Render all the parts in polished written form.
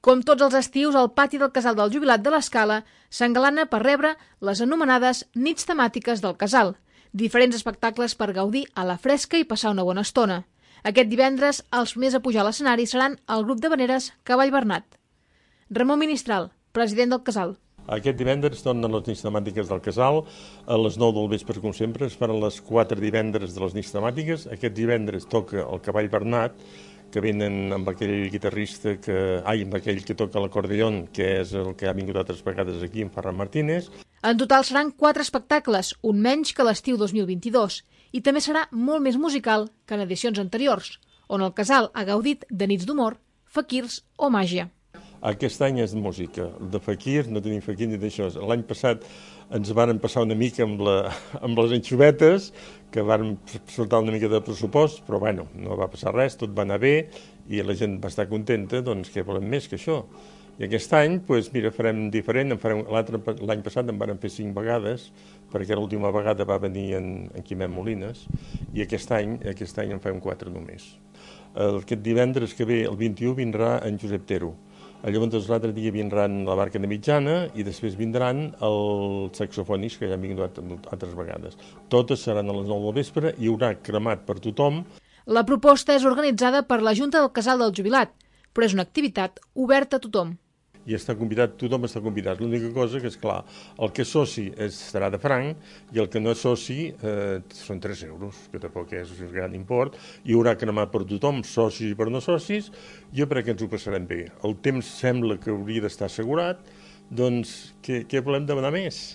Com tots els estius, el pati del Casal del Jubilat de l'Escala s'engalana per rebre les anomenades nits temàtiques del casal, diferents espectacles per gaudir a la fresca i passar una bona estona. Aquest divendres, els primers a pujar a l'escenari seran el grup d'havaneres Cavall Bernat. Ramon Ministral, president del casal. Aquest divendres tornen les nits temàtiques del casal, a les 9 del vespre, com sempre, es faran les 4 divendres de les nits temàtiques. Aquest divendres toca el Cavall Bernat, que venen amb aquell guitarrista amb aquell que toca l'acordeon, que és el que ha vingut altres vegades aquí, en Ferran Martínez. En total seran 4 espectacles, un menys que l'estiu 2022, i també serà molt més musical que en edicions anteriors, on el casal ha gaudit de nits d'humor, faquirs o màgia. Aquest any és de música, de fakir, no tenim fakir ni d'això. L'any passat ens varen passar una mica amb les anxovetes, que varen sortar una mica de pressupost, però bueno, no va passar res, tot va anar bé i la gent va estar contenta, doncs què volem més que això? I aquest any, doncs mira, farem diferent, l'any passat en varen fer 5 vegades, perquè l'última vegada va venir en Quimet Molines, i aquest any en farem 4 només. Aquest divendres que ve, el 21, vindrà en Josep Tero. Llavors l'altre dia vindran la Barca de Mitjana i després vindran els saxofonis que ja han vingut altres vegades. Totes seran a les 9 del vespre, hi haurà cremat per tothom. La proposta és organitzada per la Junta del Casal del Jubilat, però és una activitat oberta a tothom. I tothom està convidat. L'única cosa que és clar, el que és soci serà de franc i el que no és soci són 3 euros, que tampoc és un gran import. Hi haurà cremat per tothom, socis i per no socis. Jo crec que ens ho passarem bé. El temps sembla que hauria d'estar assegurat, doncs què volem demanar més?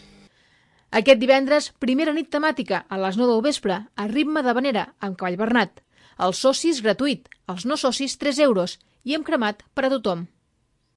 Aquest divendres, primera nit temàtica a les 9 del vespre, a ritme d'havanera amb Cavall Bernat. Els socis gratuït, els no socis 3 euros i amb cremat per a tothom.